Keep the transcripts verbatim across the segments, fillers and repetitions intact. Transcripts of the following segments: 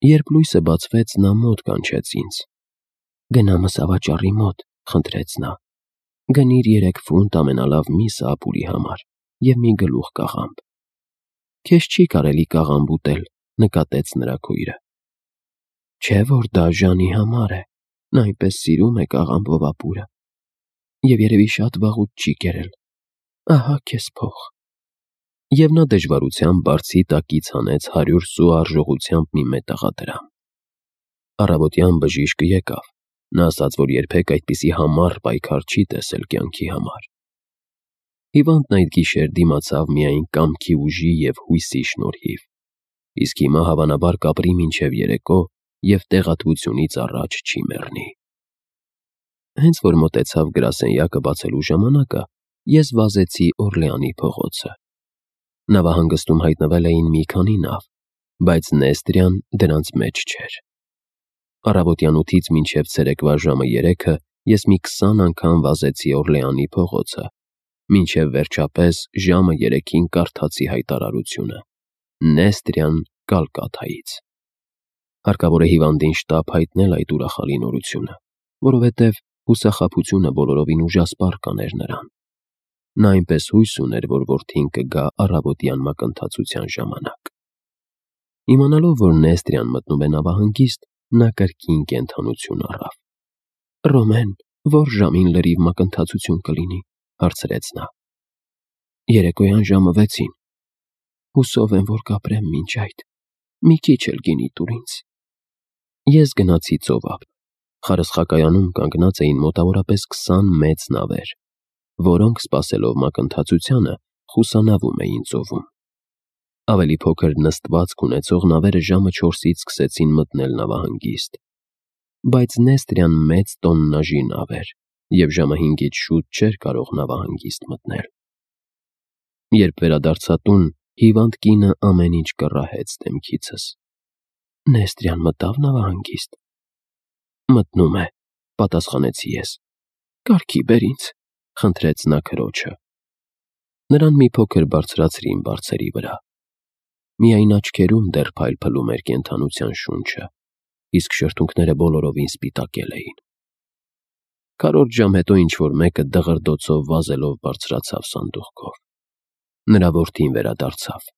Երբ լույսը բացվեց, նա մոտ կանչեց ինձ. «Գնա մսավաճառի մոտ», խնդրեց նա, «գնիր երեք ֆունտ ամենալավ միսը ապուրի համար և մի գլուխ կաղամբ»։ «Քեզ չի կարելի կաղամբ ուտել», նկատեց նրա քույրը։ «Չէ՞ որ դա Ժանի համար է, նա այնպես սիրում է կաղամբով ապուրը, և երևի շատ վաղուց չի կերել, ահա քեզ փող»։ Եվ նա դժվարությամբ բարձի տակից հանեց հարյուր սու արժողությամբ մի մետաղադրամ։ Առավոտյան բժիշկը եկավ, նա ասաց, որ երբեք այդպիսի համառ պայքար չի տեսել կյանքի համար։ Հիվանդն այդ գիշեր դիմացավ միայն կամքի ուժի և հույսի շնորհիվ, իսկ հիմա հավանաբար կապրի մինչև երեկո և տեղատվությունից առաջ չի մեռնի։ Հենց որ մոտեցավ գրասենյակը բացելու ժամանակը, ես վազեցի Օրլեանի փողոցը։ Նավահանգստում հայտնվել էին մի քանի նավ, բայց Նեստրիան դրանց մեջ չէր։ Առավոտյան ութից մինչև ցերեկվա ժամը երեքը ես մի քսան անգամ վազեցի Օրլեանի փողոցը, մինչև վերջապես ժամը երեքին կարդացի հայտարարությունը. Նեստրիան Կալկաթայից։ Հարկավոր է հիվանդին շտապ հայտնել այդ ուրախալի նորությունը, որովհետև հուսախաբությունը բոլորովին ուժասպառ կաներ նրան։ Նա այնպես հույս ուներ, որ որդին կգա առավոտյան մակընթացության ժամանակ։ Իմանալով, որ Նեստրիան մտնում է նավահանգիստ, նա կրկին կենդանություն առավ։ «Ռոմեն, ո՞ր ժամին լրիվ մակընթացություն կլինի», հարցրեց նա։ «Երեկոյան ժամը վեցին»։ «Հուսով եմ, որ կապրեմ մինչ այդ, մի քիչ էլ գինի տուր ինձ»։ Ես գնացի ծովափ։ Խարսխակայանում կանգնած էին մոտավորապես քսան մեծ նավեր, որոնք, սպասելով մակընթացությանը, խուսանավում էին ծովում։ Ավելի փոքր նստվածք ունեցող նավերը ժամը չորսից սկսեցին մտնել նավահանգիստ։ Բայց Նեստրիան մեծ տոննաժի նավ էր, և ժամը հինգից շուտ չէր կարող նավահանգիստ մտնել։ Երբ վերադարձա տուն, հիվանդ կինը ամեն ինչ կռահեց դեմքիցս։ «Նեստրիան մտա՞վ նավահանգիստ»։ «Մտնում է», պատասխանեցի ես։ «Կարգի բեր ինձ», խնդրեց նա քրոջը։ Նրան մի փոքր բարձրացրին բարձերի վրա։ Միայն աչքերում դեռ փայլփլում էր կենդանության շունչը, իսկ շրթունքները բոլորովին սպիտակել էին։ Քառորդ ժամ հետո ինչ-որ մեկը դղրդոցով վազելով բարձրացավ սանդուղքով։ Նրա որդին վերադարձավ։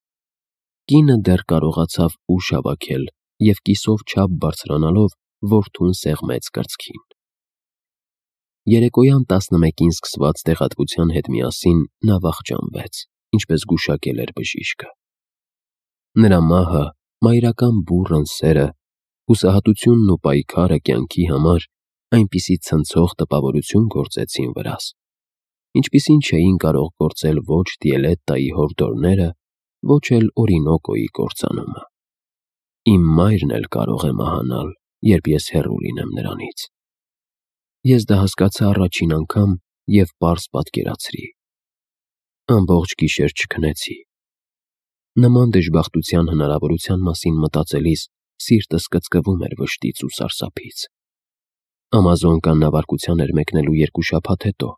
Կինը դեռ կարողացավ ուժ հավաքել և կիսով չափ բարձրանալով որդուն սեղմեց կրծքին։ Երեկոյան տասնմեկին սկսված տեղատվության հետ միասին նա վախճանվեց, ինչպես գուշակել էր բժիշկը։ Նրա մահը, մայրական բուռն սերը, հուսահատությունն ու պայքարը կյանքի համար այնպիսի ցնցող տպավորություն գործեցին վրաս, ինչպիսին չէին կարող գործել ոչ Տիելետտայի հորդորները, ոչ էլ Օրինոկոյի կործանումը։ Իմ մայրն էլ կարող է մահանալ, երբ ես հեռու լինեմ նրանից։ Ես դա հասկացա առաջին անգամ և պարզ պատկերացրի։ Ամբողջ գիշեր չքնեցի։ Նման դժբախտության հնարավորության մասին մտածելիս սիրտս կծկվում էր վշտից ու սարսափից։ Ամազոնկան նավարկության էր մեկնելու երկու շաբաթ հետո,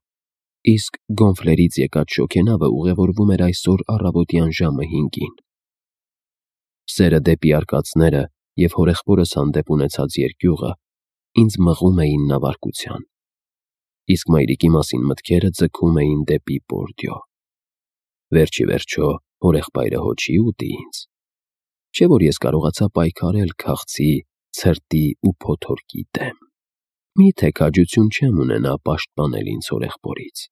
իսկ Գոնֆլերից եկած շոգենավը ուղևորվում էր այսօր առավոտյան ժամը հինգին։ Սերը դեպի արկածները և հորեղբորս հանդեպ ունեցած երկյուղը ինձ մղում էին նավարկության, իսկ մայրիկի մասին մտքերը ձգում էին դեպի Պորդիո։ Վերջ ի վերջո հորեղբայրը հո չի ուտի ինձ։ Չէ՞ որ ես կարողացա պայքարել քաղցի, ցրտի ու փոթորկի դեմ։ Մի՞թե քաջություն չեմ ունենա պաշտպանել ինձ հորեղբորից։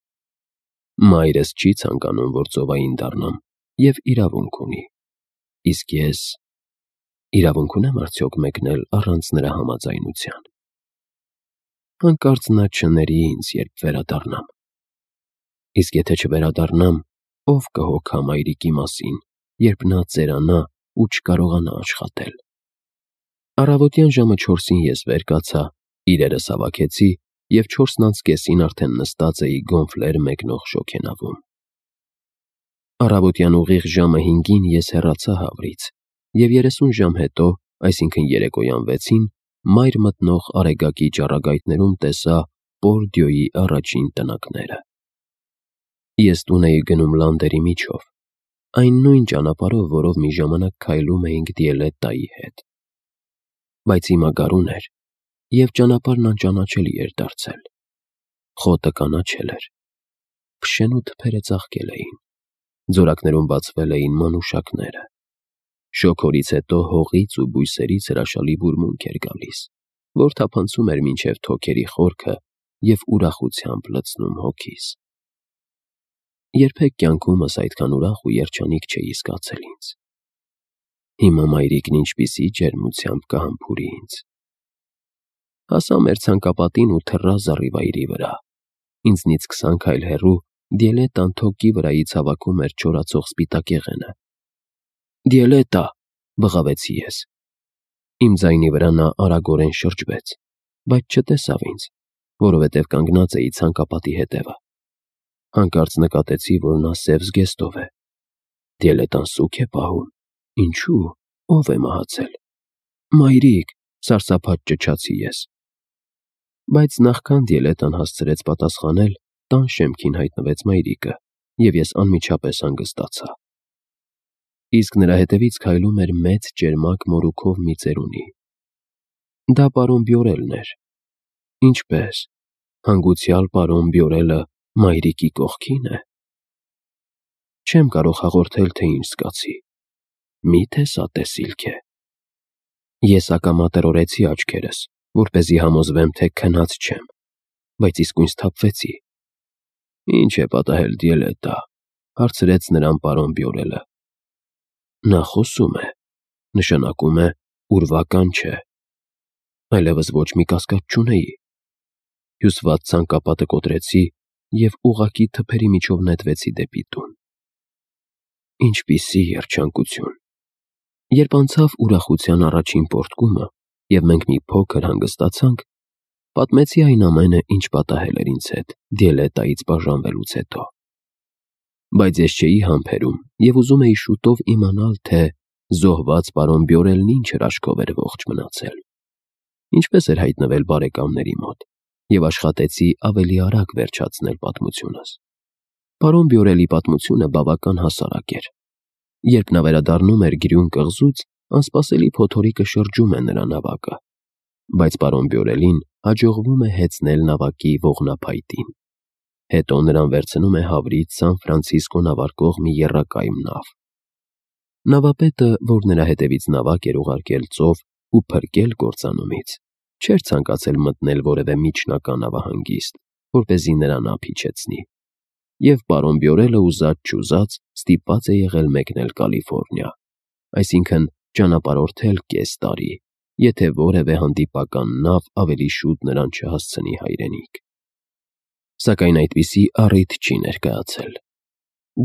Մայրս չի ցանկանում, որ ծովային դառնամ, և իրավունք ունի։ Իսկ ես… իրավունք ունե՞մ արդյոք մեկնել առանց նրա համաձայնության։ Հանկարծ նա չների ինձ, երբ վերադառնամ։ Իսկ եթե չվերադառնամ, ո՞վ կհոգա մայրիկի մասին, երբ նա ծերանա ու չկարողանա աշխատել։ Առավոտյան ժամը չորսին ես վեր կացա, իրերս հավաքեցի և չորսն անց կեսին արդեն նստած էի Գոնֆլեր մեկնող շոգենավում։ Առավոտյան ուղիղ ժամը հինգին ես հեռացա Հավրից, և երեսուն ժամ հետո, այսինքն երեկոյան վեցին, մայր մտնող Արեգակի ճառագայթներում տեսա Պորդիոյի առաջին տնակները։ Ես տուն էի գնում լանդերի միջով, այն նույն ճանապարհով, որով մի ժամանակ քայլում էինք Տիելետտայի հետ։ բայց հիմա գարուն էր, և ճանապարհն անճանաչելի էր դարձել։ Խոտը կանաչել էր, փշեն ու թփերը ծաղկել էին, ձորակներում բացվել էին մանուշակները։ Շոգորից հետո հողից ու բույսերից հրաշալի բուրմունք էր գալիս, որ թափանցում էր մինչև թոքերի խորքը և ուրախությամբ լցնում հոգիս։ Երբեք կյանքումս այդքան ուրախ ու երջանիկ չէի զգացել ինձ։ Հիմա մայրիկն ինչպիսի ջերմությամբ կհամբուրի ինձ։ Հասա մեր ցանկապատին ու թռա զառիվայրի վրա։ Ինձնից քսան քայլ հեռու Դիելետան թոկի վրայից հավաքում էր չորացող սպիտակ եղենը։ «Դիելետա», բղավեցի ես։ Իմ ձայնի վրա նա արագորեն շրջվեց, բայց չտեսավ ինձ, որովհետև կանգնած էի ցանկապատի հետևը։ Հանկարծ նկատեցի, որ նա սև զգեստով է։ Դիելետան սուգ է պահում։ Ինչու՞, ով է մահացել։ Մայրիկ, սարսափած ճչացի ես։ Բայց նախքան Դիելետան հասցրեց պատասխանել, տան շեմքին հայտնվեց մայրիկը, և ես անմիջապես հանգստացա։ Իսկ նրա հետևից քայլում էր մեծ ճերմակ մորուքով մի ծերունի։ Դա պարոն Բյորելն էր։ Ինչպե՞ս, հանգուցյալ պարոն Բյորելը մայրիկի կողքին է։ Չեմ կարող հաղորդել, թե ինչ զգացի։ Մի՞թե սա տեսիլք է։ Ես ակամա տրորեցի աչքերս, որպեսզի համոզվեմ, թե քնած չեմ, բայց իսկույն սթափվեցի։ Ինչ է պատահել, Դիելետա, հարցրեց նրան պարոն Բյորելը։ Նա խոսում է, նշանակում է ուրվական չէ։ Այլևս ոչ մի կասկած չունեի։ Հյուսված ցանկապատը կոտրեցի և ուղղակի թփերի միջով նետվեցի դեպի տուն։ Ինչպիսի երջանկություն։ Երբ անցավ ուրախության առաջին պոռթկումը, և մենք մի փոքր հանգստացանք, պատմեցի այն ամենը, ինչ պատահել էր ինձ հետ Դիելետայից բաժանվելուց հետո։ Բայց ես չէի համբերում և ուզում էի շուտով իմանալ, թե զոհված պարոն Բյորելն ինչ հրաշքով էր ողջ մնացել, ինչպես էր հայտնվել բարեկամների մոտ, և աշխատեցի ավելի արագ վերջացնել պատմությունս։ Պարոն Բյորելի պատմությունը բավական հասարակ էր։ Երբ նա վերադառնում էր Գրյուն կղզուց, անսպասելի փոթորիկը շրջում է նրա նավակը, բայց պարոն Բյորելին հաջողվում է հեծնել նավակի ողնափայտին։ Հետո նրան վերցնում է Հավրից Սան Ֆրանցիսկո նավարկող մի եռակայմ նավ։ Նավապետը, որ նրա հետևից նավակ էր ուղարկել ծով ու փրկել կործանումից, չէր ցանկացել մտնել որևէ միջնական նավահանգիստ, որպեսզի նրան ափիչեցնի, և պարոն Բյորելը ուզած-չուզած ստիպված է եղել մեկնել Կալիֆոռնիա, այսինքն ճանապարհորդել կես տարի, եթե որևէ հանդիպական նավ ավելի շուտ նրան չհասցնի հայրենիք։ Սակայն այդպիսի առիթ չի ներկայացել։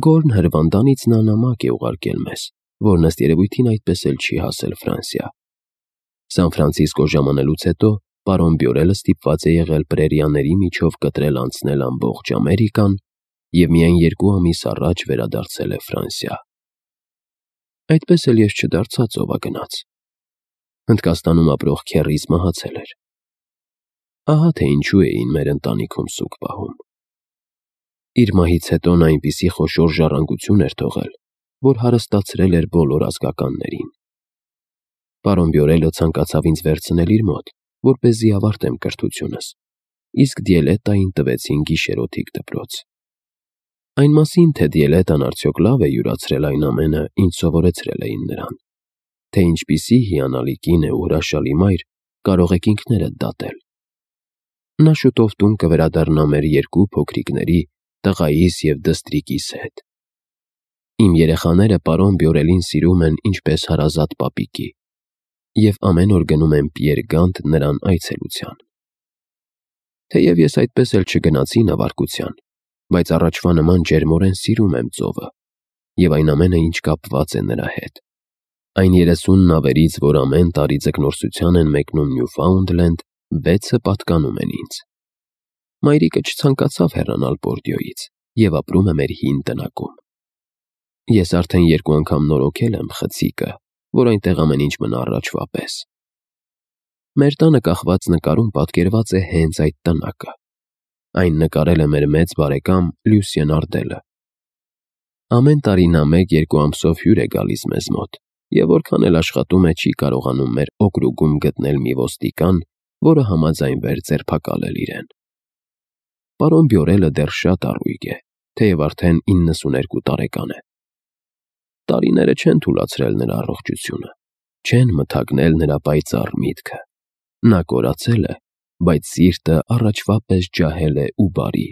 Գորն հրվանդանից նա նամակ է ուղարկել մեզ, որն ըստ երևույթին այդպես էլ չի հասել Ֆրանսիա։ Սան Ֆրանցիսկո ժամանելուց հետո պարոն Բյորելը ստիպված է եղել պրերիաների միջով կտրել անցնել ամբողջ Ամերիկան և միայն երկու ամիս առաջ վերադարձել է Ֆրանսիա։ Այդպես էլ ես չդարձա ծովագնաց։ Հնդկաստանում ապրող քեռիս մահացել էր։ Ահա թե ինչու էին մեր ընտանիքում սուգ պահում։ Իր մահից հետո նա այնպիսի խոշոր ժառանգություն էր թողել, որ հարստացրել էր բոլոր ազգականներին։ Պարոն Բյորելը ցանկացավ ինձ վերցնել իր մոտ, որպեսզի ավարտեմ կրթությունս, իսկ Դիելետային տվեցին գիշերօթիկ դպրոց։ Այն մասին, թե Դիելետան արդյոք լավ է յուրացրել այն ամենը, ինչ սովորեցրել էին նրան, թե ինչպիսի հիանալի կին է ու հրաշալի մայր, կարող եք ինքներդ դատել։ Նա շուտով տուն կվերադառնա մեր երկու փոքրիկների, տղայիս և դստրիկիս հետ։ Իմ երեխաները պարոն Բյորելին սիրում են ինչպես հարազատ պապիկի և ամեն օր գնում են Պիեր Գանտ նրան այցելության։ Թեև ես այդպես էլ չգնացի նավարկության, բայց առաջվա նման ջերմորեն սիրում եմ ծովը և այն ամենը, ինչ կապված է նրա հետ։ Այն երեսուն նավերից, որ ամեն տարի ձկնորսության են մեկնում Նյուֆաունդլենդ, վեցը պատկանում են ինձ։ Մայրիկը չցանկացավ հեռանալ Բորդյոյից և ապրում է մեր հին տնակում։ Ես արդեն երկու անգամ նորոգել եմ խցիկը, որ այնտեղ ամեն ինչ մնա առաջվա պես։ Մեր տանը կախված նկարում պատկերված է հենց այդ տնակը։ Այն նկարել է մեր մեծ բարեկամ Լյուսիեն Արդելը։ Ամեն տարի նա մեկ-երկու ամսով հյուր է գալիս մեզ մոտ եւ որքան էլ աշխատում է, չի կարողանում մեր օկրուգում գտնել մի ոստիկան, որը համաձայնվեր ձերբակալել իրեն։ Պարոն Բյորելը դեռ շատ առույգ է, թեև արդեն իննսուներկու տարեկան է։ Տարիները չեն թուլացրել նրա առողջությունը, չեն մթագնել նրա պայծառ միտքը։ Նա կորացել է, բայց սիրտը առաջվա պես ջահել է ու բարի։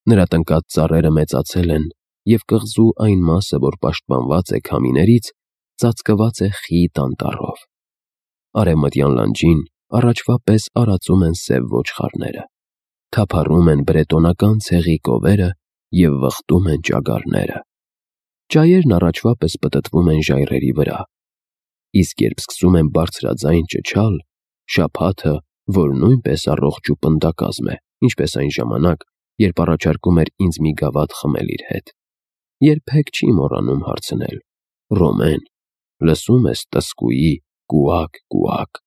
Նրա տնկած ծառերը մեծացել են, եւ կղզու այն մասը, որ պաշտպանված է քամիներից, ծածկված է խիտ անտառով։ Արևմտյան լանջին առաջվա պես արածում են սև ոչխարները, թափառում են բրետոնական ցեղի կովերը եւ վխտում են ճագարները։ Ճայերն առաջվա պես պտտվում են ժայռերի վրա, իսկ երբ սկսում են բարձրաձայն ճչալ, շաբաթը, որ նույնպես առողջ ու պնդակազմ է, ինչպես այն ժամանակ, երբ առաջարկում էր ինձ մի գավաթ խմել իր հետ, երբեք չի մոռանում հարցնել. «Ռոմեն, լսում ես տսկուի կուակ, կուակ,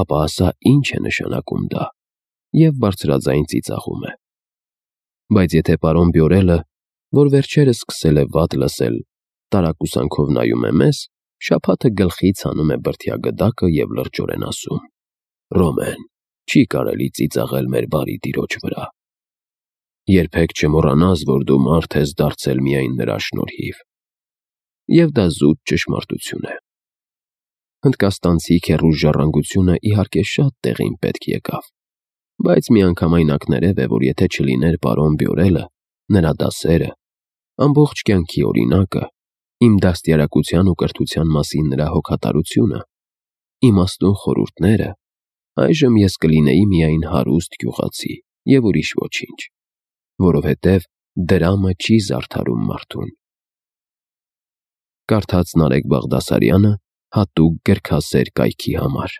ապա ասա ինչ է նշանակում դա», եւ բարձրաձայն ծիծաղում է։ Բայց եթե պարոն Բյորելը, որ վերջերս սկսել է վատ լսել, տարակուսանքով նայում է մեզ, շաբաթը գլխից հանում է բրդյա գդակը եւ լրջորեն ասում. «Ռոմեն, չի կարելի ծիծաղել մեր բարի տիրոջ վրա։ Երբեք չմոռանաս, որ դու մարդ ես դարձել միայն նրա շնորհիվ»։ Եվ դա զուտ ճշմարտություն է։ Հնդկաստանցի քեռուր ժառանգությունը իհարկե շատ տեղին պետք եկավ, բայց միանգամայն ակներև է, որ եթե չլիներ պարոն Բյորելը, նրա դասերը, ամբողջ կյանքի օրինակը, իմ դաստիարակության ու կրթության մասին նրա հոգատարությունը, իմաստուն խորհուրդները, այժմ ես կլինեի միայն հարուստ գյուղացի եւ ուրիշ ոչինչ, որովհետեւ դրամը չի զարդարում մարդուն։ Կարդաց Նարեկ Բաղդասարյանը հատուկ գրքասեր կայքի համար։